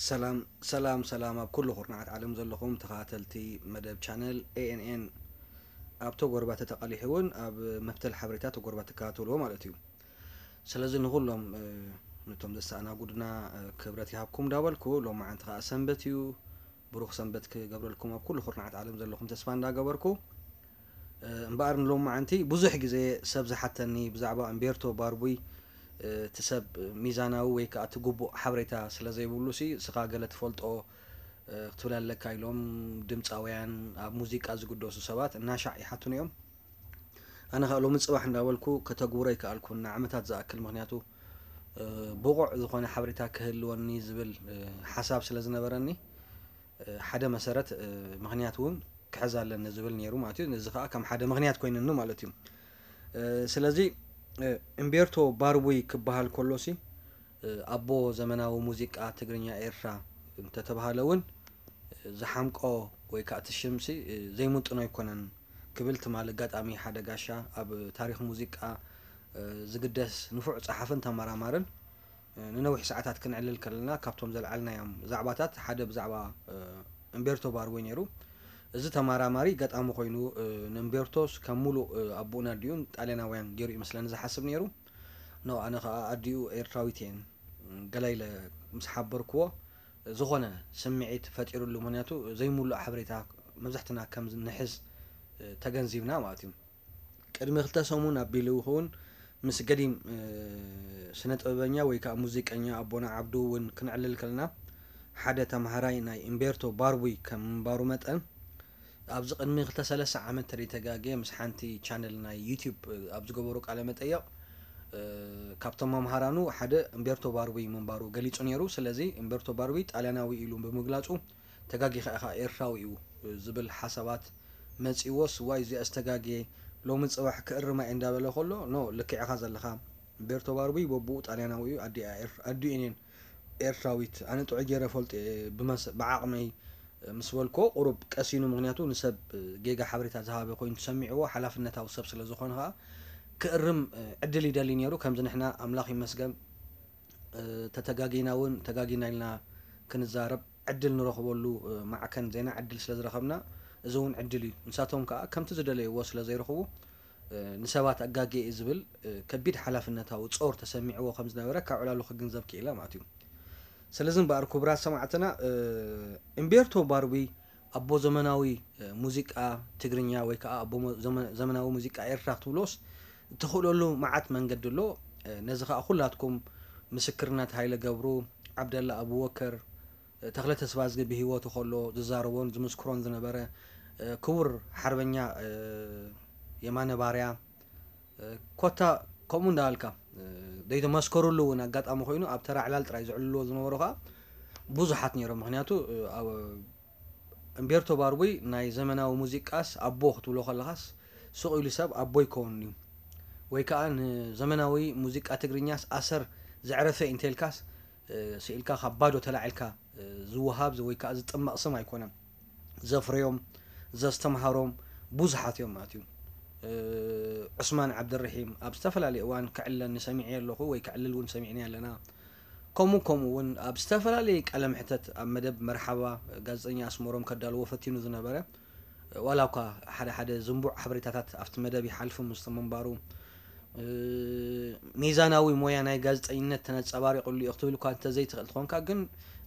ሰላም ሰላም ሰላም፣ ኣብ ኩሉ ኩርናዓት ዓለም ዘለኹም ተኸታተልቲ መደብ ቻነል ኤ ኤን ኤን፣ ኣብ ተጎርባተ ተቓሊሑ እውን ኣብ መፍተል ሓበሬታ ተጎርባተ ትከታተልዎ ማለት እዩ። ስለዚ ንኹሎም ነቶም ዘሰኣናጉድና ክብረት ይሃብኩም እንዳበልኩ፣ ሎማዓንቲ ከዓ ሰንበት እዩ። ብሩኽ ሰንበት ክገብረልኩም ኣብ ኩሉ ኩርናዓት ዓለም ዘለኹም ተስፋ እንዳገበርኩ፣ እምበኣር ንሎማዓንቲ ብዙሕ ግዜ ሰብ ዝሓተኒ ብዛዕባ እምቤርቶ ባርቡይ፣ እቲ ሰብ ሚዛናዊ ወይ ከዓ እቲ ግቡእ ሓበሬታ ስለ ዘይብሉ ሲ፣ ስኻ ገለ ትፈልጦ ክትብል ኣለካ ኢሎም ድምፃውያን፣ ኣብ ሙዚቃ ዝግደሱ ሰባት እናሻዕ ይሓቱኒ እዮም። ኣነ ከዓ ሎሚ ፅባሕ እንዳበልኩ ከተግብሮ ይከኣልኩ፣ ንዓመታት ዝኣክል፣ ምክንያቱ ብቑዕ ዝኾነ ሓበሬታ ክህልወኒ ዝብል ሓሳብ ስለ ዝነበረኒ፣ ሓደ መሰረት ምክንያት እውን ክሕዝ ኣለኒ ዝብል ነይሩ ማለት እዩ። እዚ ከዓ ከም ሓደ ምክንያት ኮይንኒ ማለት እዩ። ስለዚ እምቤርቶ ባርቡይ ክበሃል ከሎሲ ኣቦ ዘመናዊ ሙዚቃ ትግርኛ ኤርትራ እንተተባሃለ እውን ዝሓምቆ ወይ ከዓ እቲ ሽምሲ ዘይምጥኖ ኣይኮነን ክብል ትማል ኣጋጣሚ ሓደ ጋሻ ኣብ ታሪክ ሙዚቃ ዝግደስ ንፉዕ ጸሓፍን ተመራማርን ንነዊሕ ሰዓታት ክንዕልል ከለና ካብቶም ዘልዓልናዮም ዛዕባታት ሓደ ብዛዕባ እምቤርቶ ባርቡይ ነይሩ። እዚ ተመራማሪ ገጣሚ ኮይኑ ንእምቤርቶስ ከም ሙሉእ ኣቦኡን ኣዲኡን ጣልያናውያን ገይሩ ይመስለኒ ዝሓስብ ነይሩ። ኖ፣ ኣነ ከዓ ኣዲኡ ኤርትራዊት እየን ገለ ኢለ ምስ ሓበርክዎ ዝኾነ ስምዒት ፈጢሩሉ። ምክንያቱ ዘይምሉእ ሓበሬታ መብዛሕትና ከም ንሕዝ ተገንዚብና ማለት እዩ። ቅድሚ ክልተ ሰሙን ኣቢሉ ይኸውን ምስ ገዲም ስነ ጥበበኛ ወይ ከዓ ሙዚቀኛ ኣቦና ዓብዱ እውን ክንዕልል ከለና ሓደ ተምሃራይ ናይ እምቤርቶ ባርቡይ ከም ምንባሩ መጠን ኣብዚ ቅድሚ ክልተ ሰለስተ ዓመት ተደይተጋግየ ምስ ሓንቲ ቻነል ናይ ዩቲዩብ ኣብ ዝገበሩ ቃለ መጠየቕ ካብቶም መምሃራኑ ሓደ እምቤርቶ ባርቡይ ምንባሩ ገሊጹ ነይሩ። ስለዚ እምቤርቶ ባርቡይ ጣልያናዊ ኢሉ ብምግላጹ ተጋጊኻ ኢኻ ኤርትራዊ እዩ ዝብል ሓሳባት መጺዎስ ዋይ እዚኣ ዝተጋግየ ሎሚ ጽባሕ ክእርማ እየ እንዳበለ ከሎ ኖ ልክዕ ኢኻ ዘለኻ። እምቤርቶ ባርቡይ በብኡ ጣልያናዊ እዩ ኣዲኡ እየን ኤርትራዊት ኣነ ጥዑይ ገይረ ፈልጦ እየ ብመስ ብዓቕመይ ምስ በልኮ ቁሩብ ቀሲኑ ምክንያቱ ንሰብ ጌጋ ሓበሬታ ዝሃበ ኮይኑ ተሰሚዕዎ ሓላፍነታዊ ሰብ ስለ ዝኾነ ከዓ ክእርም ዕድል ይደሊ ነይሩ። ከምዚ ንሕና ኣምላኽ ይመስገን ተተጋጊና እውን ተጋጊና ኢልና ክንዛረብ ዕድል ንረኽበሉ ማዕከን ዜና ዕድል ስለ ዝረኸብና እዚ እውን ዕድል እዩ። ንሳቶም ከዓ ከምቲ ዝደለይዎ ስለ ዘይረኽቡ ንሰባት ኣጋጌ እዩ ዝብል ከቢድ ሓላፍነታዊ ጾር ተሰሚዕዎ ከም ዝነበረ ካብ ዕላሉ ክግንዘብ ክኢለ ማለት እዩ። ስለዚ እምበኣር ክቡራት ሰማዕትና እምቤርቶ ባርቢ ኣቦ ዘመናዊ ሙዚቃ ትግርኛ ወይ ከዓ ኣቦ ዘመናዊ ሙዚቃ ኤርትራ ክትብሎስ እትኽእለሉ መዓት መንገዲ ኣሎ። ነዚ ከዓ ኩላትኩም ምስክርነት ሃይለ ገብሩ፣ ዓብደላ ኣቡበከር፣ ተኽለ ተስፋዝጊ ብህይወቱ ከሎ ዝዛረቦን ዝምስክሮን ዝነበረ ክቡር ሓርበኛ የማነ ባርያ ኮታ ከምኡ እንዳበልካ ዘይተመስከሩሉ እውን ኣጋጣሚ ኮይኑ ኣብ ተራ ዕላል ጥራይ ዝዕልልዎ ዝነበሩ ከዓ ብዙሓት ነይሮም። ምክንያቱ እምቤርቶ ባርቡይ ናይ ዘመናዊ ሙዚቃስ ኣቦ ክትብሎ ከለኻስ ሱቕ ኢሉ ሰብ ኣቦ ይከውን እዩ። ወይ ከዓ ንዘመናዊ ሙዚቃ ትግርኛስ ኣሰር ዘዕረፈ እንተልካስ ስኢልካ ካብ ባዶ ተላዒልካ ዝወሃብ ወይ ከዓ ዝጥመቕ ስም ኣይኮነን። ዘፍረዮም ዘስተምሃሮም ብዙሓት እዮም ማለት እዩ። ዑስማን ዓብደርሒም ኣብ ዝተፈላለየ እዋን ክዕለኒ ሰሚዐ ኣለኹ ወይ ክዕልል እውን ሰሚዕኒ ኣለና። ከምኡ ከምኡ እውን ኣብ ዝተፈላለየ ቃለ ምሕተት ኣብ መደብ መርሓባ ጋዜጠኛ ኣስመሮም ከዳልዎ ፈቲኑ ዝነበረ ዋላ እኳ ሓደ ሓደ ዝንቡዕ ሓበሬታታት ኣብቲ መደብ ይሓልፉ ምስቲ ምንባሩ ሚዛናዊ ሞያ ናይ ጋዜጠኝነት ተነፀባሪቑሉ እዩ ክትብል እኳ እንተዘይትኽእል ትኾንካ ግን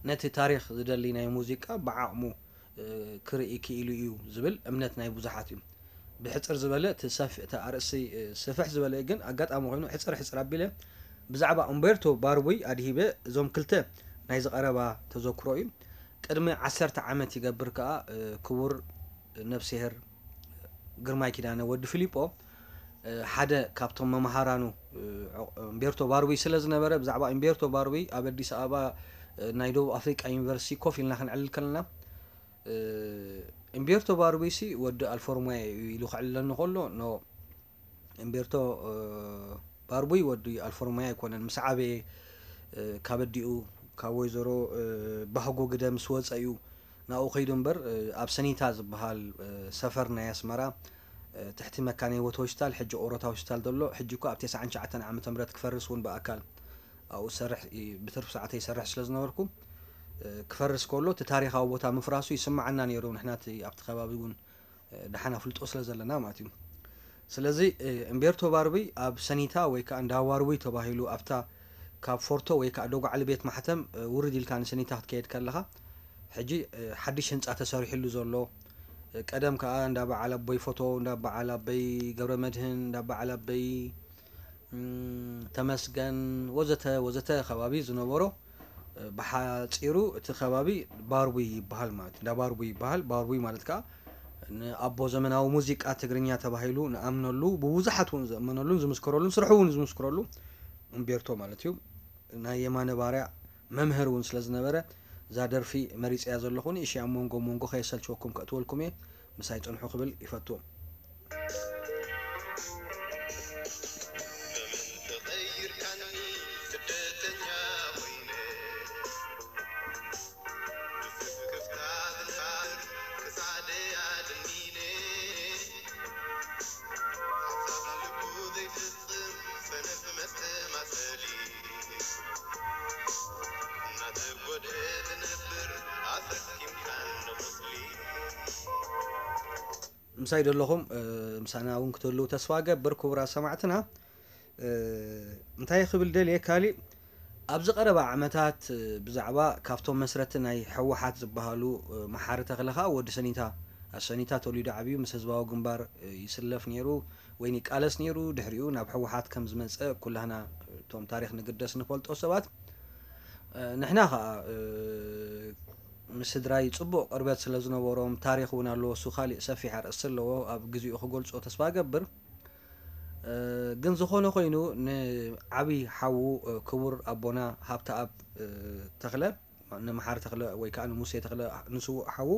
ነቲ ታሪክ ዝደሊ ናይ ሙዚቃ ብዓቕሙ ክርኢ ክኢሉ እዩ ዝብል እምነት ናይ ብዙሓት እዩ። ብሕፅር ዝበለ እቲ ኣርእስቲ ስፍሕ ዝበለ ግን ኣጋጣሚ ኮይኑ ሕፅር ሕፅር ኣቢለ ብዛዕባ ኡምቤርቶ ባርቡይ ኣድሂበ እዞም ክልተ ናይ ዝቐረባ ተዘክሮ እዩ። ቅድሚ ዓሰርተ ዓመት ይገብር ከዓ ክቡር ነብስሄር ግርማይ ኪዳነ ወዲ ፊሊጶ ሓደ ካብቶም መምሃራኑ እምቤርቶ ባርቡይ ስለ ዝነበረ ብዛዕባ እምቤርቶ ባርቡይ ኣብ ኣዲስ ኣበባ ናይ ደቡብ ኣፍሪቃ ዩኒቨርሲቲ ኮፍ ኢልና ክንዕልል ከለና እምቤርቶ ባርቡይ ሲ ወዲ ኣልፎርማያ እዩ ኢሉ ክዕልለኒ ከሎ ኖ እምቤርቶ ባርቡይ ወዲ ኣልፎርማያ ኣይኮነን ምስ ዓበየ ካብ ኣዲኡ ካብ ወይዘሮ ባህጎ ግደ ምስ ወፀ እዩ ናብኡ ከይዱ እምበር ኣብ ሰኒታ ዝበሃል ሰፈር ናይ ኣስመራ ትሕቲ መካነ ህይወት ሆስፒታል ሕጂ ኦሮታ ሆስፒታል ዘሎ ሕጂ እኳ ኣብ ተስዓን ትሽዓተን ዓመተ ምህረት ክፈርስ እውን ብኣካል ኣብኡ ዝሰርሕ ብትርፊ ሰዓተይ ይሰርሕ ስለ ዝነበርኩ ክፈርስ ከሎ እቲ ታሪኻዊ ቦታ ምፍራሱ ይስምዓና ነይሩ። ንሕና እቲ ኣብቲ ከባቢ እውን ደሓን ኣፍልጦ ስለ ዘለና ማለት እዩ። ስለዚ እምቤርቶ ባርቡይ ኣብ ሰኒታ ወይ ከዓ እንዳ ባርቡይ ተባሂሉ ኣብታ ካብ ፎርቶ ወይ ከዓ ደጓዕሊ ቤት ማሕተም ውርድ ኢልካ ንሰኒታ ክትከየድ ከለኻ ሕጂ ሓድሽ ህንፃ ተሰሪሕሉ ዘሎ፣ ቀደም ከዓ እንዳ በዓል ኣቦይ ፎቶ፣ እንዳ በዓል ኣቦይ ገብረ መድህን፣ እንዳ በዓል ኣቦይ ተመስገን ወዘተ ወዘተ ከባቢ ዝነበሮ ብሓፂሩ እቲ ከባቢ ባርቡይ ይበሃል ማለት እንዳ ባርቡይ ይበሃል። ባርቡይ ማለት ከዓ ንኣቦ ዘመናዊ ሙዚቃ ትግርኛ ተባሂሉ ንኣምነሉ፣ ብብዙሓት እውን ዘእመነሉን ዝምስክረሉን ስርሑ እውን ዝምስክረሉ እምቤርቶ ማለት እዩ። ናይ የማነ ባርያ መምህር እውን ስለ ዝነበረ እዛ ደርፊ መሪፀያ ዘለኹ ንእሽያ ሞንጎ ሞንጎ ከየሰልችወኩም ከእትወልኩም እየ። ምሳይ ፅንሑ ክብል ይፈቱ። ምሳይ ደለኹም ምሳና እውን ክትህልው ተስፋ ገብር። ክቡራት ሰማዕትና እንታይ ክብል ደልየ ካሊእ ኣብዚ ቀረባ ዓመታት ብዛዕባ ካብቶም መስረቲ ናይ ሕወሓት ዝበሃሉ መሓሪ ተኽለ ከዓ ወዲ ሰኒታ ኣብ ሰኒታ ተወሊዱ ዓብዩ ምስ ህዝባዊ ግንባር ይስለፍ ነይሩ ወይ ይቃለስ ነይሩ። ድሕሪኡ ናብ ሕወሓት ከም ዝመፀ ኩላህና እቶም ታሪክ ንግደስ ንፈልጦ ሰባት ንሕና ከዓ ምስ ስድራይ ፅቡቕ ቅርበት ስለ ዝነበሮም ታሪክ እውን ኣለዎ። እሱ ካሊእ ሰፊሕ ኣርእስቲ ኣለዎ ኣብ ግዚኡ ክገልፆ ተስፋ ገብር። ግን ዝኾነ ኮይኑ ንዓብይ ሓዉ ክቡር ኣቦና ሃብተኣብ ተኽለ ንመሓሪ ተኽለ ወይ ከዓ ንሙሴ ተኽለ ንስዉእ ሓዉ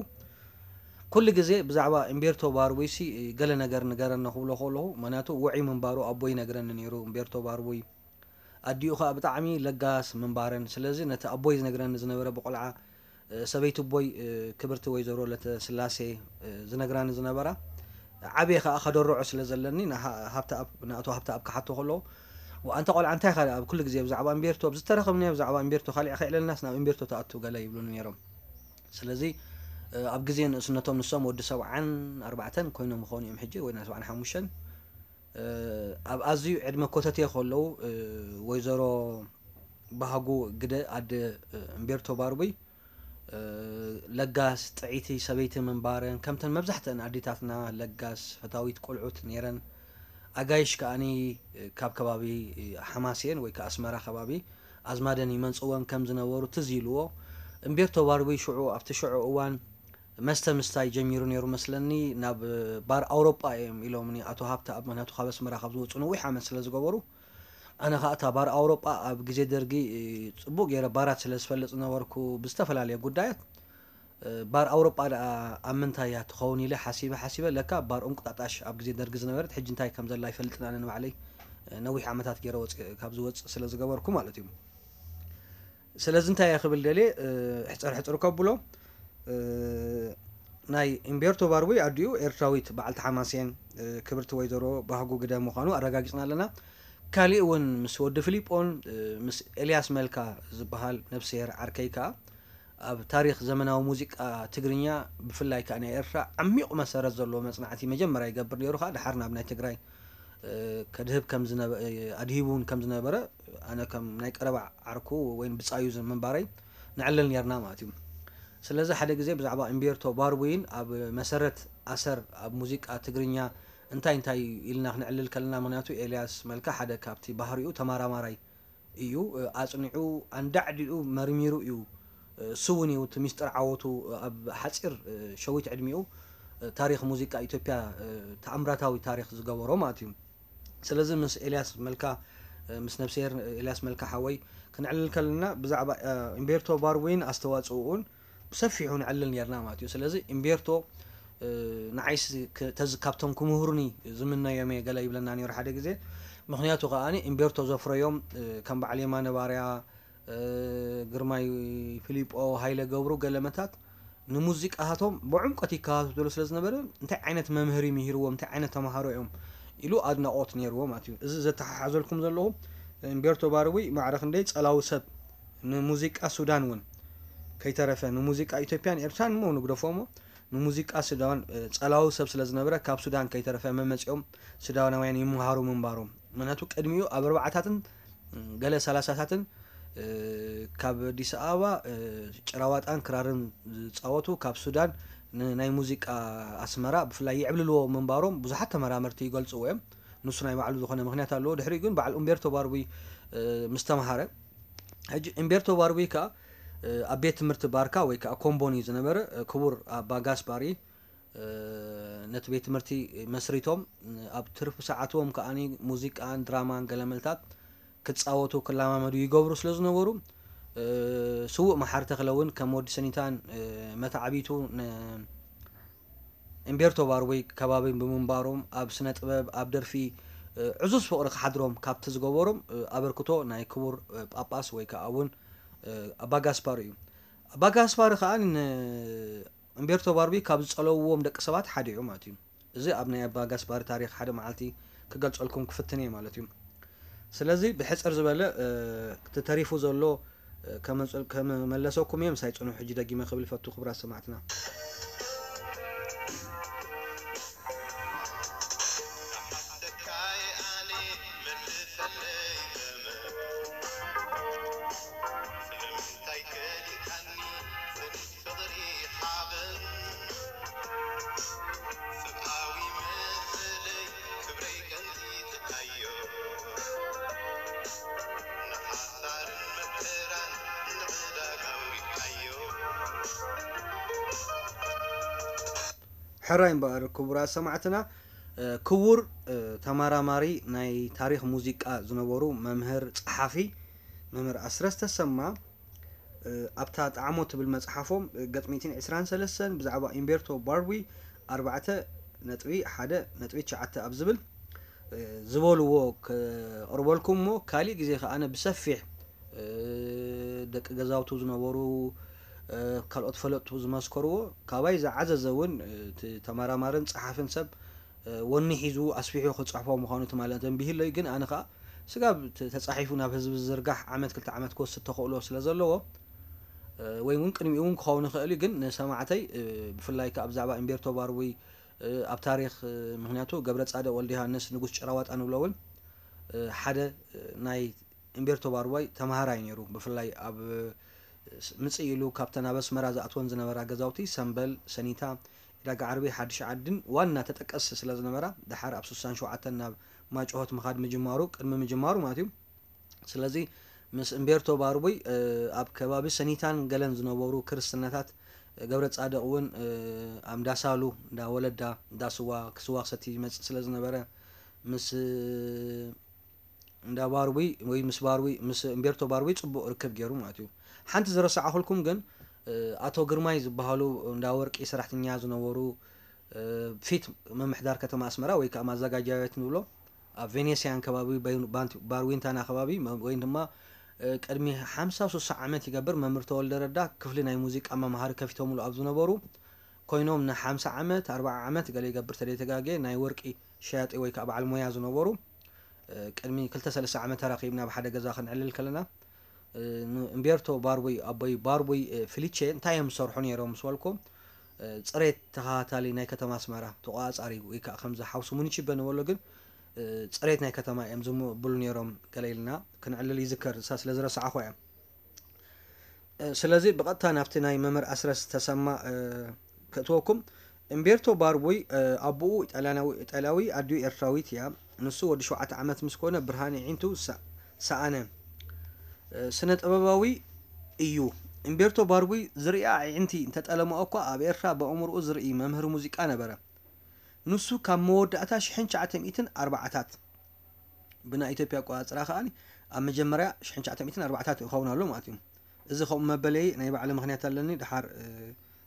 ኩሉ ግዜ ብዛዕባ እምቤርቶ ባርቡይሲ ገለ ነገር ንገረኒ ክብሎ ከለኹ ምክንያቱ ውዑይ ምንባሩ ኣቦ ይነግረኒ ነይሩ። እምቤርቶ ባርቡይ ኣዲኡ ከዓ ብጣዕሚ ለጋስ ምንባረን ስለዚ ነቲ ኣቦይ ዝነግረኒ ዝነበረ ብቆልዓ ሰበይቲ ኣቦይ ክብርቲ ወይዘሮ ለተስላሴ ዝነግራኒ ዝነበራ ዓብየ ከዓ ከደርዖ ስለ ዘለኒ ንኣቶ ሃብተኣብ ክሓቶ ከለዉ ኣንታ ቆልዓ እንታይ ኢኻ ኣብ ኩሉ ግዜ ብዛዕባ እምቤርቶ ብዝተረኸብናዮ ብዛዕባ እምቤርቶ ካልዕ ከይዕለልናስ ናብ እምቤርቶ ትኣቱ ገለ ይብሉኒ ነይሮም። ስለዚ ኣብ ግዜ ንእስነቶም ንሶም ወዲ ሰብዓን ኣርባዕተን ኮይኖም ይኾኑ እዮም ሕጂ ወይ ናይ ሰብዓን ሓሙሽተን ኣብ ኣዝዩ ዕድመ ኮተቴ ከለዉ ወይዘሮ ባህጉ ግደ ኣደ እምቤርቶ ባርቡይ ለጋስ ጥዕይቲ ሰበይቲ ምንባረን ከምተን መብዛሕትአን ኣዴታትና ለጋስ ፈታዊት ቆልዑት ነይረን። ኣጋይሽ ከኣኒ ካብ ከባቢ ሓማሴን ወይ ከዓ ኣስመራ ከባቢ ኣዝማደን ይመንፅወን ከም ዝነበሩ ትዝ ኢልዎ። እምቤርቶ ባርቡይ ሽዑ ኣብቲ ሽዑ እዋን መስተ ምስታይ ጀሚሩ ነይሩ መስለኒ ናብ ባር ኣውሮጳ እዮም ኢሎምኒ ኣቶ ሃብተኣብ ምክንያቱ ካብ ኣስመራ ካብ ዝወፁ ነዊሕ ዓመት ስለ ዝገበሩ ኣነ ከዓ እታ ባር ኣውሮጳ ኣብ ግዜ ደርጊ ፅቡቅ ገይረ ባራት ስለ ዝፈልጥ ዝነበርኩ ብዝተፈላለየ ጉዳያት ባር ኣውሮጳ ደኣ ኣብ ምንታይ እያ ትኸውን ኢለ ሓሲበ ሓሲበ ለካ ባር እንቁጣጣሽ ኣብ ግዜ ደርጊ ዝነበረት ሕጂ እንታይ ከም ዘላ ኣይፈልጥን ኣነ ንባዕለይ ነዊሕ ዓመታት ገይረ ወፅ ካብ ዝወፅእ ስለ ዝገበርኩ ማለት እዩ። ስለዚ እንታይ እየ ክብል ደልየ ሕፅር ሕፅር ከብሎ ናይ እምቤርቶ ባርቡይ ኣዲኡ ኤርትራዊት በዓልቲ ሓማሴን ክብርቲ ወይዘሮ ባህጉ ግደ ምዃኑ ኣረጋጊፅና ኣለና። ካሊእ እውን ምስ ወዲ ፊሊጶን ምስ ኤልያስ መልካ ዝበሃል ነብስሄር ዓርከይ ከዓ ኣብ ታሪክ ዘመናዊ ሙዚቃ ትግርኛ ብፍላይ ከዓ ናይ ኤርትራ ዓሚቕ መሰረት ዘለዎ መፅናዕቲ መጀመርያ ይገብር ነይሩ ከዓ ድሓር ናብ ናይ ትግራይ ከድህብ ከም ዝነበ ኣድሂቡ እውን ከም ዝነበረ ኣነ ከም ናይ ቀረባ ዓርኩ ወይ ብፃዩ ምንባረይ ንዕልል ነርና ማለት እዩ። ስለዚ ሓደ ግዜ ብዛዕባ እምቤርቶ ባርቡይን ኣብ መሰረት ኣሰር ኣብ ሙዚቃ ትግርኛ እንታይ እንታይ ኢልና ክንዕልል ከለና ምክንያቱ ኤልያስ መልካ ሓደ ካብቲ ባህሪኡ ተማራማራይ እዩ። ኣፅኒዑ ኣንዳዕዲዑ መርሚሩ እዩ። እሱ እውን እዩ እቲ ሚስጥር ዓወቱ ኣብ ሓፂር ሸዊት ዕድሚኡ ታሪክ ሙዚቃ ኢትዮጵያ ተኣምራታዊ ታሪክ ዝገበሮ ማለት እዩ። ስለዚ ምስ ኤልያስ መልካ ምስ ነብስሄር ኤልያስ መልካ ሓወይ ክንዕልል ከለና ብዛዕባ እምቤርቶ ባርቡይን ኣስተዋፅኡን ብሰፊሑ ንዕልል ነርና ማለት እዩ። ስለዚ እምቤርቶ ንዓይስ ተዝ ካብቶም ክምህሩኒ ዝምነዮም እየ ገለ ይብለና ነይሩ ሓደ ግዜ። ምክንያቱ ከዓ እምቤርቶ ዘፍረዮም ከም በዓል የማነ ባርያ፣ ግርማይ ፊሊጶ፣ ሃይለ ገብሩ ገለመታት ንሙዚቃታቶም ብዕምቆት ይከታተሉ ስለ ዝነበረ እንታይ ዓይነት መምህር ምሂርዎም እንታይ ዓይነት ተምሃሮ እዮም ኢሉ ኣድናቆት ነይርዎ ማለት እዩ። እዚ ዘተሓሓዘልኩም ዘለኹ እምቤርቶ ባርቡይ ማዕረ ክንደይ ጸላዊ ሰብ ንሙዚቃ ሱዳን እውን ከይተረፈ ንሙዚቃ ኢትዮጵያን ኤርትራን እሞ ንግደፎ እሞ ንሙዚቃ ሱዳን፣ እ፣ ጸላዊ ሰብ ስለ ዝነበረ ካብ ሱዳን ከይተረፈ መመጺኦም ሱዳናውያን ይመሃሩ ምንባሮም። ምክንያቱ ቅድሚኡ ኣብ ኣርባዓታትን፣ እ፣ ገለ ሰላሳታትን፣ እ፣ ካብ ኣዲስ ኣበባ፣ እ፣ ጭራዋጣን ክራርን ዝጻወቱ ካብ ሱዳን ን-፣ ናይ ሙዚቃ ኣስመራ ብፍላይ ይዕብልልዎ ምንባሮም ብዙሓት ተመራመርቲ ይገልጽዎ እዮም። ንሱ ናይ ባዕሉ ዝኾነ ምክንያት ኣለዎ። ድሕሪኡ ግን በዓል ኡምቤርቶ ባርቡይ፣ እ፣ ምስ ተምሃረ፣ ሕጂ ኡምቤርቶ ባርቡይ ከኣ፣ እ፣ ኣብ ቤት ትምህርቲ ባርካ ወይ ከኣ ኮምቦኒ ዝነበረ፣ እ፣ ክቡር ኣባ ጋስባሪ፣ እ፣ ነቲ ቤት ትምህርቲ መስሪቶም፣ እ፣ ኣብ ትርፊ ሰዓትዎም ከኣኒ ሙዚቃን ድራማን ገለመልታት ክጻወቱ ክለማመዱ ይገብሩ ስለ ዝነበሩ፣ እ፣ ስዉእ መሓሪ ተኽለ እውን ከም ወዲ ሰኒታን፣ እ፣ መተዓቢቱ ን-፣ እምቤርቶ ባርቦይ ከባቢ ብምንባሮም ኣብ ስነ ጥበብ፣ ኣብ ደርፊ፣ እ፣ ዕዙዝ ፍቕሪ ክሓድሮም ካብቲ ዝገበሮም፣ እ፣ ኣበርክቶ ናይ ክቡር፣ እ፣ ጳጳስ ወይ ከኣ እውን፣ እ፣ ኣባ ጋስፓር እዩ። ኣባ ጋስፓር ከኣ ን-፣ እምቤርቶ ባርቦይ ካብ ዝጸለውዎም ደቂ ሰባት ሓደ እዩ ማለት እዩ። እዚ ኣብ ናይ ኣባ ጋስፓር ታሪኽ ሓደ መዓልቲ ክገልጸልኩም ክፍትን እየ ማለት እዩ። ስለዚ ብሕጽር ዝበለ፣ እ፣ እቲ ተሪፉ ዘሎ፣ እ፣ ከመጽል-፣ ከመመለሰኩም እየ። ምሳይ ጽኑሕ ሕጂ ደጊመ ክብል ይፈቱ ክቡራት ሰማዕትና። ሕራይ እምበኣር ክቡራት ሰማዕትና፣ እ፣ ክቡር፣ እ፣ ተመራማሪ ናይ ታሪኽ ሙዚቃ ዝነበሩ መምህር ጸሓፊ መምህር ኣስረስ ተሰማ፣ እ፣ ኣብታ ጣዕሞ ትብል መጽሓፎም፣ እ፣ ገጽ ሚእትን ዕስራን ሰለስተን ብዛዕባ ኢምቤርቶ ባርዊ ኣርባዕተ ነጥቢ ሓደ ነጥቢ ትሽዓተ ኣብ ዝብል፣ እ፣ ዝበልዎ ከቕርበልኩም እሞ፣ ካሊእ ግዜ ከኣ ኣነ ብሰፊሕ፣ እ፣ ደቂ ገዛውቱ ዝነበሩ፣ እ፣ ካልኦት ፈለጥቱ ዝመስከርዎ፣ ካባይ ዝዓዘዘ እውን፣ እ፣ እቲ ተመራማርን ጸሓፍን ሰብ፣ እ፣ ወኒ ሒዙ ኣስፊሑ ክጽሕፎ ምዃኑ ትማሊ ተንቢህለይ። ግን ኣነ ከኣ ስጋብ ተ-፣ ተጻሒፉ ናብ ህዝቢ ዝዝርጋሕ ዓመት ክልተ ዓመት ክወስድ ተኽእሎ ስለ ዘለዎ፣ እ፣ ወይ እውን ቅድሚኡ እውን ክኸውን ይኽእል እዩ። ግን ንሰማዕተይ፣ እ፣ ብፍላይ ከኣ ብዛዕባ እምቤርቶ ባርዊ፣ እ፣ ኣብ ታሪኽ፣ እ፣ ምኽንያቱ ገብረ ጻድቕ ወልደ ዮሃንስ ንጉስ ጭራዋጣ ንብሎ እውን፣ እ፣ ሓደ፣ እ፣ ናይ እምቤርቶ ባርቦይ ተምሃራይ ነይሩ። ብፍላይ ኣብ፣ እ፣ ስ-፣ ምጽእ ኢሉ ካብተን ኣብ ኣስመራ ዝኣትወን ዝነበራ ገዛውቲ ሰምበል፣ ሰኒታ፣ ዕዳጋ ዓርቢ፣ ሓድሽ ዓድን ዋና ተጠቀስቲ ስለ ዝነበራ፣ ደሓር ኣብ ስሳን ሸውዓተን ናብ ማጭሆት ምኻድ ምጅማሩ፣ ቅድሚ ምጅማሩ ማለት እዩ። ስለዚ ምስ እምቤርቶ ባርቡይ፣ እ፣ ኣብ ከባቢ ሰኒታን ገለን ዝነበሩ ክርስትናታት፣ እ፣ ገብረ ጻድቕ እውን፣ እ፣ ኣብ እንዳ ሳሉ፣ እንዳ ወለዳ፣ እንዳ ስዋ፣ ክስዋ ክሰቲ ይመጽእ ስለ ዝነበረ፣ ምስ፣ እ፣ እንዳ ባርቡይ ወይ ምስ ባርቡይ፣ ምስ እምቤርቶ ባርቡይ ጽቡቕ ርክብ ገይሩ ማለት እዩ። ሓንቲ ዝረሳዕኹልኩም ግን፣ እ፣ ኣቶ ግርማይ ዝበሃሉ እንዳ ወርቂ ሰራሕተኛ ዝነበሩ፣ እ፣ ፊት ምምሕዳር ከተማ ኣስመራ ወይ ከኣ ማዘጋጃ ቤት ንብሎ፣ ኣብ ቬኔስያን ከባቢ፣ ባይ-፣ ባንት-፣ ባርዊንታና ከባቢ፣ መ-፣ ወይ ድማ፣ እ፣ ቅድሚ ሓምሳ ስሳ ዓመት ይገብር፣ መምህር ተወልደ ረዳ ክፍሊ ናይ ሙዚቃ መምሃሪ ከፊቶምሉ ኣብ ዝነበሩ ኮይኖም፣ ንሓምሳ ዓመት፣ ኣርብዓ ዓመት ገለ ይገብር ተደይተጋጌ፣ ናይ ወርቂ ሸያጢ ወይ ከኣ በዓል ሞያ ዝነበሩ፣ እ፣ ቅድሚ ክልተ ሰለስተ ዓመት ተራኺብና ኣብ ሓደ ገዛ ክንዕልል ከለና፣ እ፣ ን-፣ እምቤርቶ ባርቡይ፣ ኣቦይ ባርቡይ፣ እ፣ ፊሊቼ እንታይ እዮም ዝሰርሑ ነይሮም ምስ በልኩም፣ እ፣ ጽሬት ተኸታታሊ ናይ ከተማ ኣስመራ፣ ተቖጻጻሪ ወይ ከኣ ከምዚ ሓውሲ ሙኒቺበ ንበሎ ግን፣ እ፣ ጽሬት ናይ ከተማ እዮም ዝምብሉ ነይሮም ገለ ኢልና ክንዕልል ይዝከር፣ እሳ ስለ ዝረሳዕኹ እያ። እ፣ ስለዚ ብቐጥታ ናብቲ ናይ መምህር ኣስረስ ተሰማ፣ እ፣ ከእትወኩም። እምቤርቶ ባርቡይ፣ እ፣ ኣቦኡ ኢጣልያናዊ፣ ኢጣልያዊ፣ ኣዲኡ ኤርትራዊት እያ። ንሱ ወዲ ሸውዓተ ዓመት ምስ ኮነ ብርሃን ኣዒንቱ ሰ-፣ ሰኣነ። እ፣ ስነ ጥበባዊ እዩ። እምቤርቶ ባርቡይ ዝርኣ ኣዒንቲ እንተጠለመኦ እኳ ኣብ ኤርትራ ብኣእምሮኡ ዝርኢ መምህር ሙዚቃ ነበረ። ንሱ ካብ መወዳእታ ሽሕን ትሽዓተ ሚእትን ኣርባዓታት ብናይ ኢትዮጵያ ኣቆጻጽራ ከኣ ኣብ መጀመርያ ሽሕን ትሽዓተ ሚእትን ኣርባዓታት ይኸውን ኣሎ ማለት እዩ። እዚ ከምኡ መበለይ ናይ ባዕሉ ምኽንያት ኣለኒ፣ ደሓር፣ እ፣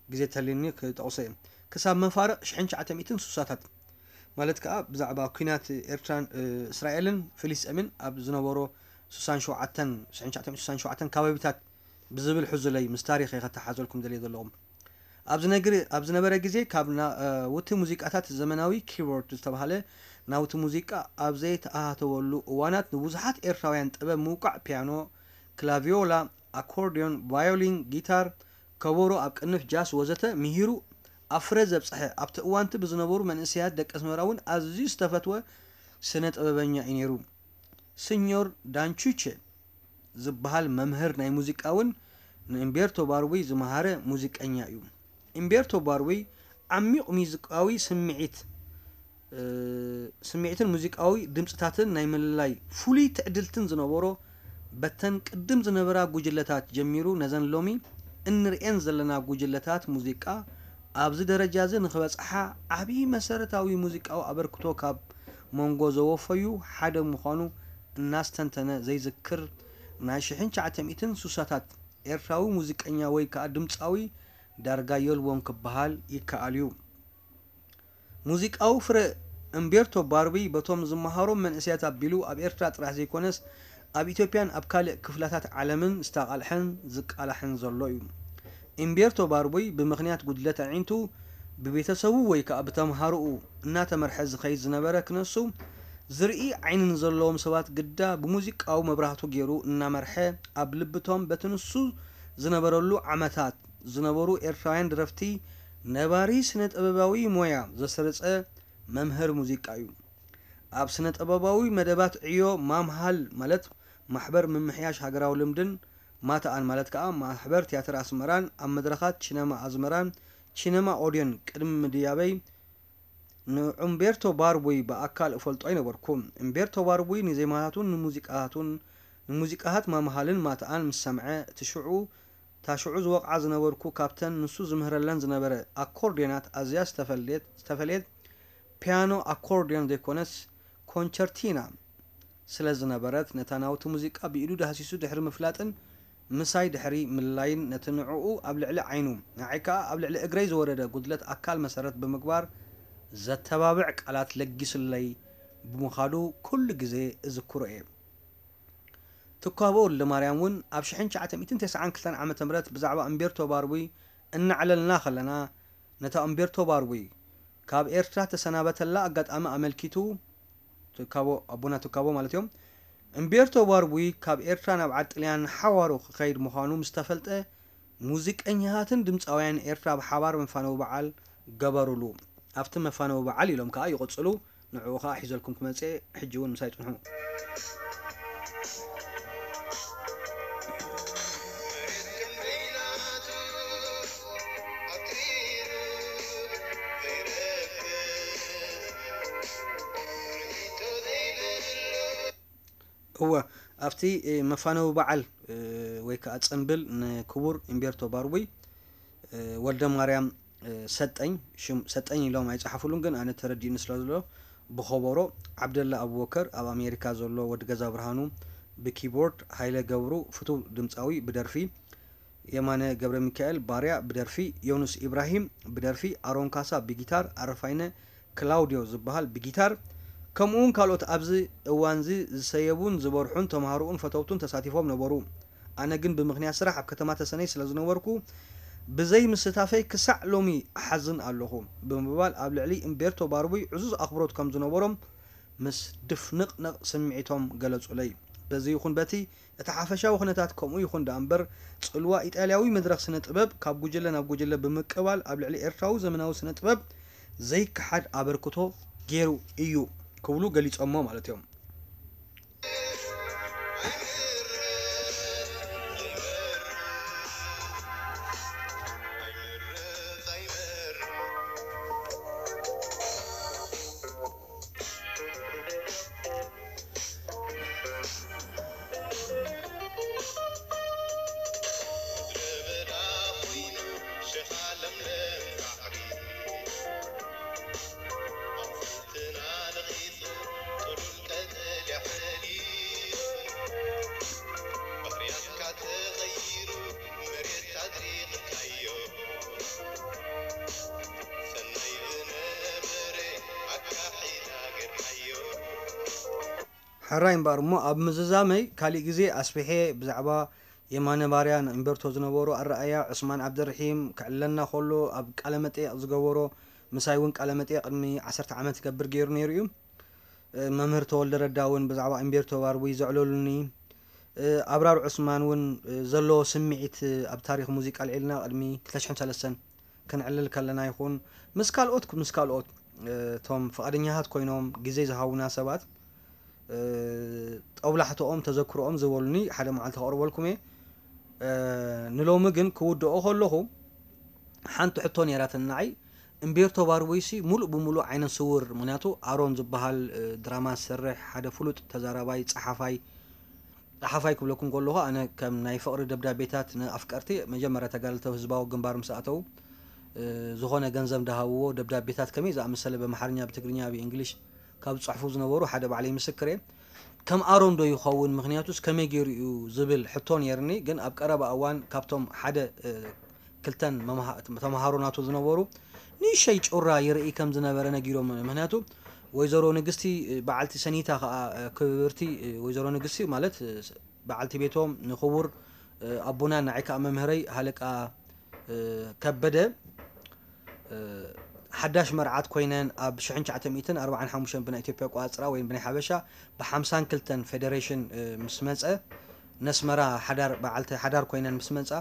ግዜ ተልዩኒ ክጠቕሶ እየ። ክሳብ መፋርቕ ሽሕን ትሽዓተ ሚእትን ስሳታት ማለት ከኣ ብዛዕባ ኲናት ኤርትራን፣ እ፣ እስራኤልን ፍልስጤምን ኣብ ዝነበሮ ስሳን ሸውዓተን፣ ሽሕን ትሽዓተ ሚእትን ስሳን ሸውዓተን ከባቢታት ብዝብል ሕዙለይ ምስ ታሪኽ እየ ከተሓዘልኩም ደልየ ዘለኹም። ኣብ ዝነግር-፣ ኣብ ዝነበረ ግዜ ካብ ና-፣ እ፣ ውቲ ሙዚቃታት ዘመናዊ ኪቦርድ ዝተባህለ ናውቲ ሙዚቃ ኣብ ዘይተኣታተወሉ እዋናት ንብዙሓት ኤርትራውያን ጥበብ ምውቃዕ ፒያኖ፣ ክላቪዮላ፣ ኣኮርድዮን፣ ቫዮሊን፣ ጊታር፣ ከበሮ ኣብ ቅንፍ ጃስ ወዘተ ምሂሩ ኣብ ፍረ ዘብጽሐ ኣብቲ እዋንቲ ብዝነበሩ መንእሰያት ደቂ ኣስመራ እውን ኣዝዩ ዝተፈትወ ስነ ጥበበኛ እዩ ነይሩ። ስኞር ዳንቹቼ ዝበሃል መምህር ናይ ሙዚቃ እውን ንእምቤርቶ ባርቡይ ዝመሃረ ሙዚቀኛ እዩ። እምቤርቶ ባርቡይ ዓሚቕ ሙዚቃዊ ስምዒት ስምዒትን ሙዚቃዊ ድምጽታትን ናይ ምልላይ ፍሉይ ትዕድልትን ዝነበሮ በተን ቅድም ዝነበራ ጉጅለታት ጀሚሩ ነዘን ሎሚ እንርእየን ዘለና ጉጅለታት ሙዚቃ ኣብዚ ደረጃ እዚ ንኽበጽሓ ዓቢ መሰረታዊ ሙዚቃዊ ኣበርክቶ ካብ መንጎ ዘወፈዩ ሓደ ምዃኑ እናስተንተነ ዘይዝክር ናይ ሽሕን ትሽዓተ ሚእትን ስሳታት ኤርትራዊ ሙዚቀኛ ወይ ከኣ ድምጻዊ ዳርጋ የልቦን ክበሃል ይከኣል እዩ። ሙዚቃዊ ፍረ እምቤርቶ ባርቢ በቶም ዝመሃሮም መንእሰያት ኣቢሉ ኣብ ኤርትራ ጥራሕ ዘይኮነስ ኣብ ኢትዮጵያን ኣብ ካልእ ክፍላታት ዓለምን ዝተቓልሐን ዝቃላሕን ዘሎ እዩ። እምቤርቶ ባርቡይ ብምኽንያት ጉድለት ኣዒንቱ ብቤተሰቡ ወይ ከኣ ብተምሃሮኡ እናተመርሐ ዝኸይድ ዝነበረ ክነሱ ዝርኢ ዓይኒ ንዘለዎም ሰባት ግዳ ብሙዚቃዊ መብራህቱ ገይሩ እናመርሐ ኣብ ልብቶም በቲ ንሱ ዝነበረሉ ዓመታት ዝነበሩ ኤርትራውያን ደረፍቲ ነባሪ ስነ ጥበባዊ ሞያ ዘስረጸ መምህር ሙዚቃ እዩ። ኣብ ስነ ጥበባዊ መደባት ዕዮ ማምሃል ማለት ማሕበር ምምሕያሽ ሃገራዊ ልምድን ማታኣን ማለት ከኣ ማሕበር ትያትር ኣስመራን ኣብ መድረኻት ቺነማ ኣዝመራን ቺነማ ኦድዮን ቅድሚ ምድያበይ ንኡምቤርቶ ባርቡይ ብኣካል እፈልጦ ኣይነበርኩን። እምቤርቶ ባርቡይ ንዜማታቱን ንሙዚቃታቱን ንሙዚቃታት ማምሃልን ማታኣን ምስ ሰምዐ እቲ ሽዑ እታ ሽዑ ዝወቕዓ ዝነበርኩ ካብተን ንሱ ዝምህረለን ዝነበረ ኣኮርድዮናት ኣዝያ ዝተፈለየት ዝተፈለየት ፒያኖ ኣኮርድዮን ዘይኮነስ ኮንቸርቲና ስለ ዝነበረት ነታ ናውቲ ሙዚቃ ብኢዱ ዳህሲሱ ድሕሪ ምፍላጥን ምሳይ ድሕሪ ምልላይን ነቲ ንዕኡ ኣብ ልዕሊ ዓይኑ ንዓይ ከኣ ኣብ ልዕሊ እግረይ ዝወረደ ጉድለት ኣካል መሰረት ብምግባር ዘተባብዕ ቃላት ለጊሱለይ ብምኻዱ ኩሉ ግዜ እዝክሮ እየ። ትኳቦ ወልደማርያም እውን ኣብ ሽሕን ትሽዓተ ሚእትን ተስዓን ክልተን ዓመተ ምህረት ብዛዕባ እምቤርቶ ባርቡይ እናዕለልና ከለና ነታ እምቤርቶ ባርቡይ ካብ ኤርትራ ተሰናበተላ ኣጋጣሚ ኣመልኪቱ ትካቦ ኣቦና ትካቦ ማለት እዮም። እምቤርቶ ባርቡይ ካብ ኤርትራ ናብ ዓዲ ጥልያን ሓዋሩ ክኸይድ ምዃኑ ምስ ተፈልጠ ሙዚቀኛታትን ድምፃውያን ኤርትራ ብሓባር መፋነዊ በዓል ገበሩሉ። ኣብቲ መፋነዊ በዓል ኢሎም ከዓ ይቕፅሉ። ንዕኡ ከዓ ሒዘልኩም ክመፅእ ሕጂ እውን ምሳይ ፅንሑ። እወ ኣብቲ መፋነዊ በዓል ወይ ከዓ ፅንብል ንክቡር እምቤርቶ ባርቡይ ወልደ ማርያም ሰጠኝ ሽም ሰጠኝ ኢሎም ኣይፀሓፉሉን ግን ኣነ ተረዲእኒ ስለ ዘሎ ብኸበሮ ዓብደላ ኣቡበከር ኣብ ኣሜሪካ ዘሎ ወዲ ገዛ ብርሃኑ ብኪቦርድ ሃይለ ገብሩ ፍቱው ድምፃዊ ብደርፊ የማነ ገብረሚካኤል ባርያ ብደርፊ፣ ዮኑስ ኢብራሂም ብደርፊ፣ ኣሮን ካሳ ብጊታር፣ ኣረፋይነ ክላውድዮ ዝበሃል ብጊታር፣ ከምኡውን ካልኦት ኣብዚ እዋንዚ ዝሰየቡን ዝበርሑን ተምሃሮኡን ፈተውቱን ተሳቲፎም ነበሩ። ኣነ ግን ብምኽንያት ስራሕ ኣብ ከተማ ተሰነይ ስለ ዝነበርኩ ብዘይ ምስታፈይ ክሳዕ ሎሚ እሓዝን ኣለኹ ብምባል ኣብ ልዕሊ እምቤርቶ ባርቡይ ዕዙዝ ኣኽብሮት ከም ዝነበሮም ምስ ድፍንቕንቕ ስምዒቶም ገለጹለይ። በዚ ይኹን በቲ እቲ ሓፈሻዊ ኩነታት ከምኡ ይኹን ደኣ እምበር፣ ጽልዋ ኢጣልያዊ መድረኽ ስነ ጥበብ ካብ ጉጅለ ናብ ጉጅለ ብምቅባል ኣብ ልዕሊ ኤርትራዊ ዘመናዊ ስነ ጥበብ ዘይከሓድ ኣበርክቶ ገይሩ እዩ ክብሉ ገሊጾሞ ማለት እዮም። ሕራይ እምበኣር እሞ ኣብ ምዝዛመይ ካሊእ ግዜ ኣስፊሐ ብዛዕባ የማነ ባርያ ንእምበርቶ ዝነበሮ ኣረኣእያ ዑስማን ዓብደርሒም ክዕለና ከሎ ኣብ ቃለ መጠየቕ ዝገበሮ ምሳይ እውን ቃለ መጠየቕ ቅድሚ ዓሰርተ ዓመት ክገብር ገይሩ ነይሩ እዩ። መምህር ተወልደ ረዳ እውን ብዛዕባ እምቤርቶ ባርቡይ ዘዕለሉኒ ኣብራር ዑስማን እውን ዘለዎ ስምዒት ኣብ ታሪኽ ሙዚቃ ኣልዒልና ቅድሚ ክልተ ሽሕን ሰለስተን ከነዕልል ከለና ይኹን ምስ ካልኦት ምስ ካልኦት እቶም ፍቓደኛታት ኮይኖም ግዜ ዝሃቡና ሰባት ጦብላሕትኦም ተዘክሮኦም ዝበሉኒ ሓደ መዓልቲ ከቕርበልኩም እየ። ንሎሚ ግን ክውድኦ ከለኹ ሓንቲ ሕቶ ነይራትኒ ንዓይ። እምቤርቶ ባርቡይሲ ሙሉእ ብሙሉእ ዓይነ ስውር፣ ምክንያቱ ኣሮን ዝበሃል ድራማ ዝሰርሕ ሓደ ፍሉጥ ተዛራባይ ጸሓፋይ ጸሓፋይ ክብለኩም ከለኹ ኣነ ከም ናይ ፍቕሪ ደብዳቤታት ንኣፍቀርቲ መጀመርያ ተጋደልቲ ህዝባዊ ግንባር ምስ ኣተው ዝኾነ ገንዘብ እንዳሃብዎ ደብዳቤታት ከመይ ዝኣመሰለ ብኣምሓርኛ ብትግርኛ ብእንግሊሽ ካብ ዝጽሕፉ ዝነበሩ ሓደ ባዕለይ ምስክር እየ። ከም ኣሮን ዶ ይኸውን? ምኽንያቱስ ከመይ ገይሩ እዩ ዝብል ሕቶ ነይርኒ። ግን ኣብ ቀረባ እዋን ካብቶም ሓደ ክልተን ተምሃሮ ናቱ ዝነበሩ ንእሸይ ጩራ ይርኢ ከም ዝነበረ ነጊሮም። ምክንያቱ ወይዘሮ ንግስቲ በዓልቲ ሰኒታ ከዓ ክብርቲ ወይዘሮ ንግስቲ ማለት በዓልቲ ቤቶም ንክቡር ኣቦና ንዓይ ከዓ መምህረይ ሃለቃ ከበደ ሓዳሽ መርዓት ኮይነን ኣብ ሽሕን ትሽዓተ ሚእትን ኣርባዓን ሓሙሽተን ብናይ ኢትዮጵያ ኣቆፃፅራ ወይ ብናይ ሓበሻ ብሓምሳን ክልተን ፌደሬሽን ምስ መፀ ነስመራ ሓዳር በዓልቲ ሓዳር ኮይነን ምስ መፃ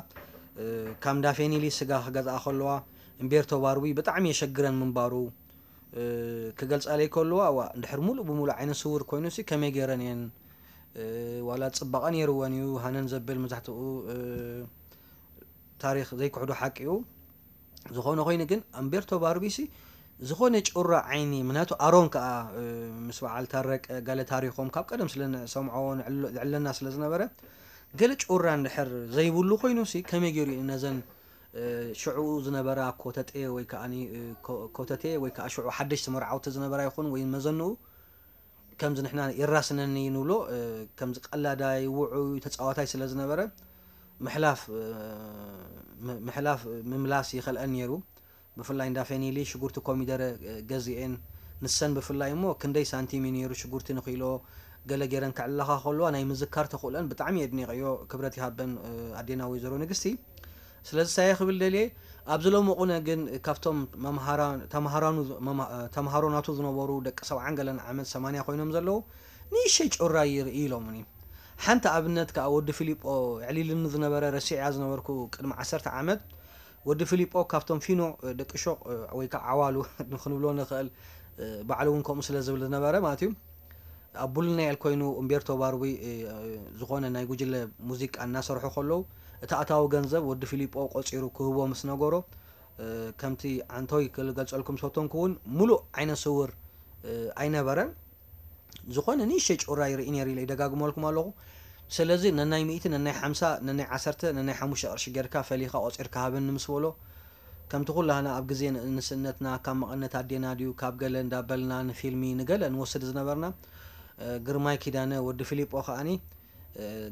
ካብ እንዳፌኒሊ ስጋ ክገዝኣ ከለዋ እምቤርቶ ባርዊ ብጣዕሚ የሸግረን ምንባሩ ክገልፃለይ ከለዋ ዋ እንድሕር ሙሉእ ብሙሉእ ዓይነ ስውር ኮይኑ ሲ ከመይ ገይረን እየን ዋላ ፅባቐ ነይርወን እዩ ሃነን ዘብል መብዛሕትኡ ታሪኽ ዘይክሕዶ ሓቂ እዩ። ዝኾነ ኮይኑ ግን ኣምቤርቶ ባርቢሲ ዝኾነ ጩራ ዓይኒ ምክንያቱ ኣሮን ከዓ ምስ በዓል ታረቀ ገለ ታሪኾም ካብ ቀደም ስለ ንሰምዖ ዝዕለና ስለ ዝነበረ ገለ ጩራ እንድሕር ዘይብሉ ኮይኑ ሲ ከመይ ገይሩ እዩ ነዘን ሽዑ ዝነበራ ኮተቴ ወይ ከዓ ኮተቴ ወይ ከዓ ሽዑ ሓደሽቲ መርዓውቲ ዝነበራ ይኹን ወይ መዘንኡ ከምዚ ንሕና የራስነኒ ንብሎ ከምዚ ቀላዳይ ውዑይ ተፃዋታይ ስለ ዝነበረ ምሕላፍ ምሕላፍ ምምላስ ይኸልአን ነይሩ። ብፍላይ እንዳ ፌኒሊ ሽጉርቲ ኮሚደረ ገዚኤን ንሰን ብፍላይ እሞ ክንደይ ሳንቲም እዩ ነይሩ ሽጉርቲ ንኪሎ ገለ ገይረን ክዕልላኻ ከለዋ ናይ ምዝካር ተኽእሎአን ብጣዕሚ የድኒቐዮ። ክብረት ይሃበን ኣዴና ወይዘሮ ንግስቲ። ስለዚ ሳየ ክብል ደልየ ኣብዚ ሎሚ ቁነ ግን ካብቶም ተምሃሮ ናቱ ዝነበሩ ደቂ ሰብዓን ገለን ዓመት ሰማንያ ኮይኖም ዘለዉ ንእሸይ ጩራ ይርኢ ኢሎምኒ። ሓንቲ ኣብነት ከዓ ወዲ ፊሊጶ ዕሊልኒ ዝነበረ ረሲዕያ ዝነበርኩ ቅድሚ ዓሰርተ ዓመት ወዲ ፊሊጶ ካብቶም ፊኖ ደቂ ሾቕ ወይ ከዓ ዓዋሉ ንክንብሎ ንኽእል ባዕሉ እውን ከምኡ ስለ ዝብል ዝነበረ ማለት እዩ ኣብ ቡልናኤል ኮይኑ እምቤርቶ ባርዊ ዝኾነ ናይ ጉጅለ ሙዚቃ እናሰርሑ ከለዉ እቲ ኣታዊ ገንዘብ ወዲ ፊሊጶ ቆፂሩ ክህቦ ምስ ነገሮ ከምቲ ዓንቶይ ክገልፀልኩም ዝፈተንኩ እውን ሙሉእ ዓይነ ስውር ኣይነበረን ዝኾነ ንእሽተይ ጩራ ይርኢ ነይሩ ኢለ ይደጋግመልኩም ኣለኹ ስለዚ ነናይ ሚእቲ ነናይ ሓምሳ ነናይ ዓሰርተ ነናይ ሓሙሽተ ቅርሺ ጌርካ ፈሊኻ ቆፂርካ ሃበኒ ምስ በሎ ከምቲ ኩላህና ኣብ ግዜ ንእስነትና ካብ መቐነት ኣዴና ድዩ ካብ ገለ እንዳበልና ንፊልሚ ንገለ ንወስድ ዝነበርና ግርማይ ኪዳነ ወዲ ፊሊጶ ከዓኒ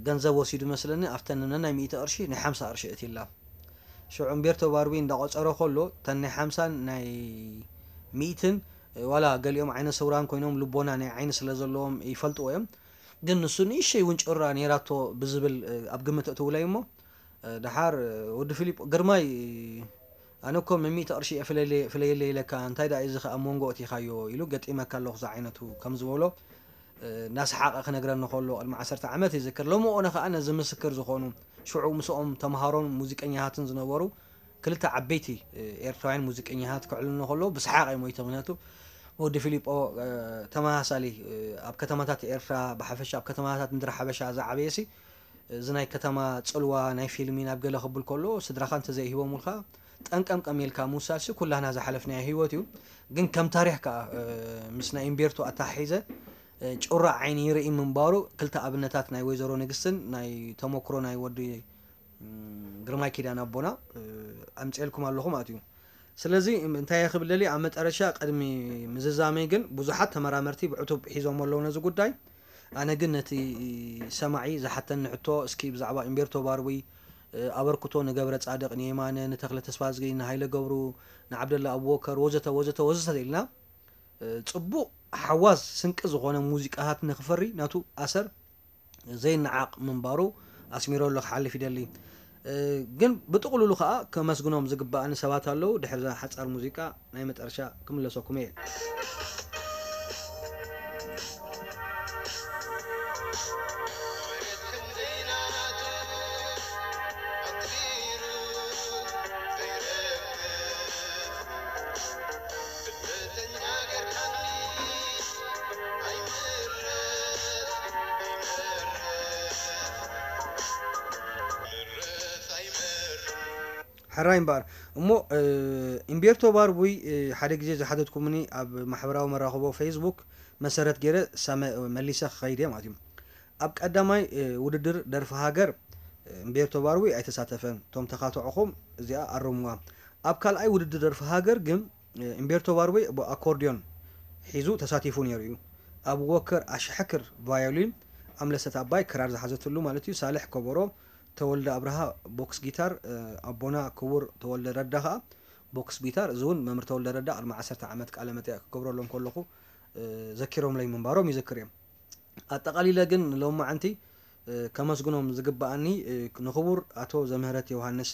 ገንዘብ ወሲዱ መስለኒ ኣብተን ነናይ ሚእቲ ቅርሺ ናይ ሓምሳ ቅርሺ እትይላ ሽዑ እምቤርቶ ባርቢ እንዳቆፀረ ከሎ እተን ናይ ሓምሳን ናይ ሚእትን ዋላ ገሊኦም ዓይነ ስውራን ኮይኖም ልቦና ናይ ዓይኒ ስለ ዘለዎም ይፈልጥዎ እዮም ግን ንሱ ንእሸይ እውን ጭራ ነይራቶ ብዝብል ኣብ ግምት እትውለይ እሞ ደሓር ወዲ ፊሊጶ ግርማይ ኣነ እኮ መሚእቲ ቅርሺ እየ ፍለየለይ ኢለካ እንታይ ደኣ እዚ ከኣ ኣብ መንጎ እቲኻዮ ኢሉ ገጢመካ ኣለኹ ዝዓይነቱ ከም ዝበሎ እናሰሓቐ ክነግረኒ ከሎ ቅድሚ ዓሰርተ ዓመት ይዝክር ሎሚ ኦነ ከኣ ነዚ ምስክር ዝኾኑ ሽዑ ምስኦም ተምሃሮን ሙዚቀኛታትን ዝነበሩ ክልተ ዓበይቲ ኤርትራውያን ሙዚቀኛታት ክዕልልኒ ከለዉ ብሰሓቕ እየ ሞይተ ምክንያቱ ወዲ ፊሊጶ ተመሳሳሊ ኣብ ከተማታት ኤርትራ ብሓፈሻ ኣብ ከተማታት ምድሪ ሓበሻ ዝዓበየ ሲ እዚ ናይ ከተማ ፅልዋ ናይ ፊልሚ ናብ ገለ ክብል ከሎ ስድራኻ እንተዘይሂቦምልካ ጠንቀምቀም ኢልካ ምውሳድ ሲ ኩላህና ዝሓለፍናዮ ህይወት እዩ ግን ከም ታሪኽ ከዓ ምስ ናይ ኢምቤርቶ ኣተሓሒዘ ጩራ ዓይኒ ይርኢ ምንባሩ ክልተ ኣብነታት ናይ ወይዘሮ ንግስትን ናይ ተመክሮ ናይ ወዲ ግርማይ ኪዳነ ኣቦና ኣምፅኤልኩም ኣለኹ ማለት እዩ። ስለዚ እንታይ እየ ክብል ደልየ ኣብ መጠረሻ ቅድሚ ምዝዛመይ ግን ብዙሓት ተመራመርቲ ብዕቱብ ሒዞሞ ኣለዉ ነዚ ጉዳይ። ኣነ ግን ነቲ ሰማዒ ዝሓተኒ ሕቶ እስኪ ብዛዕባ እምቤርቶ ባርዊ ኣበርክቶ ንገብረ ፃድቕ ንየማነ ንተኽለ ተስፋዝጊ ንሃይለ ገብሩ ንዓብደላ ኣቡበከር ወዘተ ወዘተ ወዘተ ኢልና ፅቡቕ ሓዋዝ ስንቂ ዝኾነ ሙዚቃታት ንክፈሪ ናቱ ኣሰር ዘይነዓቕ ምንባሩ ኣስሚረሉ ክሓልፍ ይደሊ። ግን ብጥቕሉሉ ከዓ ከመስግኖም ዝግበኣኒ ሰባት ኣለዉ። ድሕሪ እዛ ሓፃር ሙዚቃ ናይ መጠረሻ ክምለሰኩም እየ። ሕራይ እምበኣር እሞ፣ እምቤርቶ ባርቡይ፣ ሓደ ግዜ ዝሓተትኩምኒ ኣብ ማሕበራዊ መራኸቦ ፌስቡክ መሰረት ገይረ ሳመ መሊሰ ክኸይድ እየ ማለት እዩ። ኣብ ቀዳማይ ውድድር ደርፊ ሃገር እምቤርቶ ባርቡይ ኣይተሳተፈን። እቶም ተኻትዕኹም እዚኣ ኣርምዋ። ኣብ ካልኣይ ውድድር ደርፊ ሃገር ግን እምቤርቶ ባርቡይ ብኣኮርድዮን ሒዙ ተሳቲፉ ነይሩ እዩ። ኣብ ወከር ኣሽሕክር ቫዮሊን፣ ኣምለሰት ኣባይ ክራር ዝሓዘትሉ ማለት እዩ፣ ሳልሕ ከበሮ፣ ተወልደ ኣብርሃ ቦክስ ጊታር፣ ኣቦና ክቡር ተወልደ ረዳ ኸኣ ቦክስ ጊታር። እዚ እውን መምህር ተወልደ ረዳ ቅድሚ ዓሰርተ ዓመት ቃለ መጠይቕ ክገብረሎም ከለኹ ዘኪሮምለይ ምንባሮም ይዝክር እየ። ኣጠቓሊለ ግን ሎማዓንቲ ከመስግኖም ዝግብኣኒ ንክቡር ኣቶ ዘምህረት ዮሃንስ፣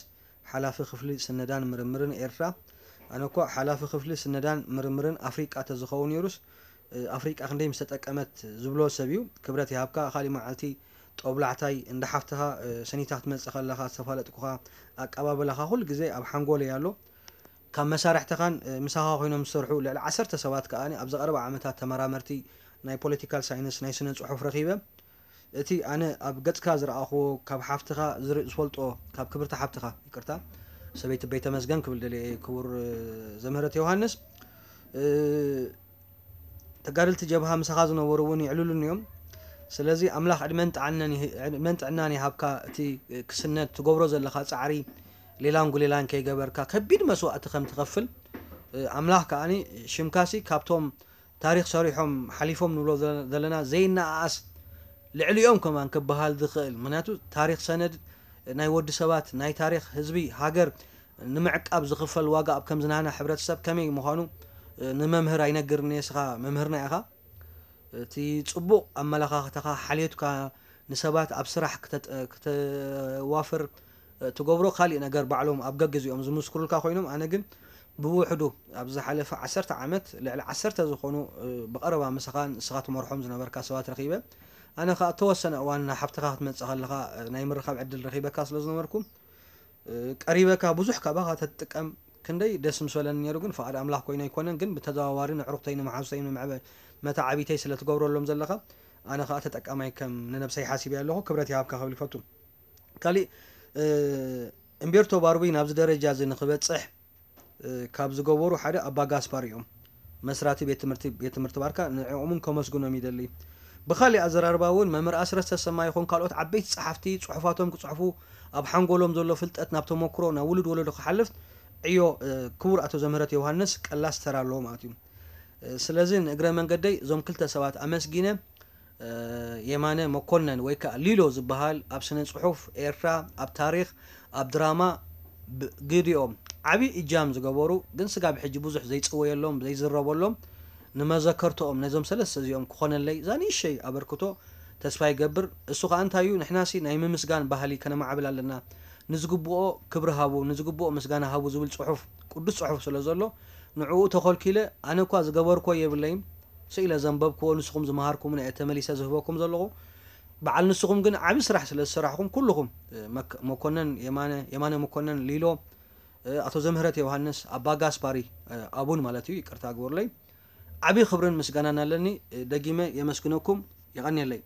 ሓላፊ ክፍሊ ስነዳን ምርምርን ኤርትራ። ኣነ እኳ ሓላፊ ክፍሊ ስነዳን ምርምርን ኣፍሪቃ ተዝኸውን ነይሩስ፣ ኣፍሪቃ ክንደይ ምስተጠቀመት ዝብሎ ሰብ እዩ። ክብረት ይሃብካ። ካሊእ መዓልቲ ጦብላሕታይ እንዳ ሓፍትኻ ሰኒታ ክትመጽእ ከለኻ ዝተፋለጥኩኻ፣ ኣቀባበላኻ ኩሉ ግዜ ኣብ ሓንጎለይ ኣሎ። ካብ መሳርሕትኻን ምሳኻ ኮይኖም ዝሰርሑ ልዕሊ ዓሰርተ ሰባት ከኣ ኣብዚ ቀረባ ዓመታት ተመራመርቲ ናይ ፖለቲካል ሳይንስ፣ ናይ ስነ ጽሑፍ ረኺበ። እቲ ኣነ ኣብ ገጽካ ዝረኣኽዎ፣ ካብ ሓፍትኻ ዝፈልጦ፣ ካብ ክብርቲ ሓፍትኻ፣ ይቅርታ፣ ሰበይቲ በይተመስገን ክብል ደልየ እየ፣ ክቡር ዘምህረት ዮሃንስ። ተጋደልቲ ጀብሃ ምሳኻ ዝነበሩ እውን የዕልሉኒ እዮም። ስለዚ ኣምላኽ ዕድመን ጥዕናን ይሃብካ። እቲ ክስነድ ትገብሮ ዘለኻ ጻዕሪ ሌላን ጉሌላን ከይገበርካ ከቢድ መስዋእቲ ከም ትኸፍል ኣምላኽ ከኣ ሽምካሲ ካብቶም ታሪኽ ሰሪሖም ሓሊፎም ንብሎ ዘለና ዘይነኣኣስ ልዕሊኦም ከማን ክበሃል ዝኽእል። ምክንያቱ ታሪኽ ሰነድ ናይ ወዲ ሰባት፣ ናይ ታሪኽ ህዝቢ ሃገር ንምዕቃብ ዝኽፈል ዋጋ ኣብ ከምዚ ናህና ሕብረተሰብ ከመይ ምዃኑ ንመምህር ኣይነግርን እየ፣ ንስኻ መምህርና ኢኻ። እቲ ጽቡቕ ኣመለኻኽታኻ ሓልዮትካ ንሰባት ኣብ ስራሕ ክተዋፍር ትገብሮ ካሊእ ነገር ባዕሎም ኣብ ገግዜኦም ዝምስክሩልካ ኮይኖም፣ ኣነ ግን ብውሕዱ ኣብ ዝሓለፈ ዓሰርተ ዓመት ልዕሊ ዓሰርተ ዝኾኑ ብቐረባ ምሳኻ ንስኻ ትመርሖም ዝነበርካ ሰባት ረኺበ። ኣነ ከኣ እተወሰነ እዋን ናብ ሓብትኻ ክትመጽእ ከለኻ ናይ ምርኻብ ዕድል ረኺበካ ስለ ዝነበርኩ ቀሪበካ ብዙሕ ካባኻ ተትጥቀም ክንደይ ደስ ምሰለኒ ነይሩ። ግን ፍቓድ ኣምላኽ ኮይኑ ኣይኮነን። ግን ብተዘዋዋሪ ንዕሩኽተይ ንመሓዙተይ ንመዕበ መታዓቢተይ ስለ ትገብረሎም ዘለኻ ኣነ ከኣ ተጠቃማይ ከም ንነብሰይ ሓሲበ ኣለኹ። ክብረት ይሃብካ ክብል ይፈቱ። ካሊእ እምቤርቶ ባርቡይ ናብዚ ደረጃ እዚ ንክበጽሕ ካብ ዝገበሩ ሓደ ኣባ ጋስፓር እዮም። መስራቲ ቤት ትምህርቲ ቤት ትምህርቲ ባርካ ንዕኦምን ከመስግኖም ይደሊ። ብኻሊእ ኣዘራርባ እውን መምህር ኣስረስ ተሰማ ይኹን ካልኦት ዓበይቲ ጸሓፍቲ ጽሑፋቶም ክጽሕፉ ኣብ ሓንጎሎም ዘሎ ፍልጠት ናብ ተመክሮ ናብ ውሉድ ወለዶ ክሓልፍ ዕዮ ክቡር ኣቶ ዘምህረት ዮሃንስ ቀላስ ተራ ኣለዎ ማለት እዩ። ስለዚ ንእግረ መንገደይ እዞም ክልተ ሰባት ኣመስጊነ የማነ መኮነን ወይ ከዓ ሊሎ ዝበሃል ኣብ ስነ ጽሑፍ ኤርትራ፣ ኣብ ታሪኽ፣ ኣብ ድራማ ግዲኦም ዓብዪ እጃም ዝገበሩ ግን ስጋብ ሕጂ ብዙሕ ዘይጽወየሎም ዘይዝረበሎም ንመዘከርትኦም ነዞም ሰለስተ እዚኦም ክኾነለይ እዛ ንእሸይ ኣበርክቶ ተስፋ ይገብር። እሱ ከዓ እንታይ እዩ ንሕናሲ ናይ ምምስጋን ባህሊ ከነማዕብል ኣለና፣ ንዝግብኦ ክብሪ ሃቡ፣ ንዝግብኦ ምስጋና ሃቡ ዝብል ጽሑፍ ቅዱስ ጽሑፍ ስለ ዘሎ ንዕኡ ተኾልኪለ ኣነ እኳ ዝገበርኮ የብለይን ስኢለ ዘንበብክዎ ንስኹም ዝመሃርኩምና እየ ተመሊሰ ዝህበኩም ዘለኹ። በዓል ንስኹም ግን ዓቢ ስራሕ ስለ ዝሰራሕኹም ኩልኹም መኮነን የማነ የማነ መኮነን ሊሎ ኣቶ ዘምህረት ዮሃንስ ኣባ ጋስፓሪ ኣቡን ማለት እዩ ይቅርታ ግበሩለይ። ዓቢ ክብርን ምስጋናን ኣለኒ። ደጊመ የመስግነኩም። የቐንየለይ።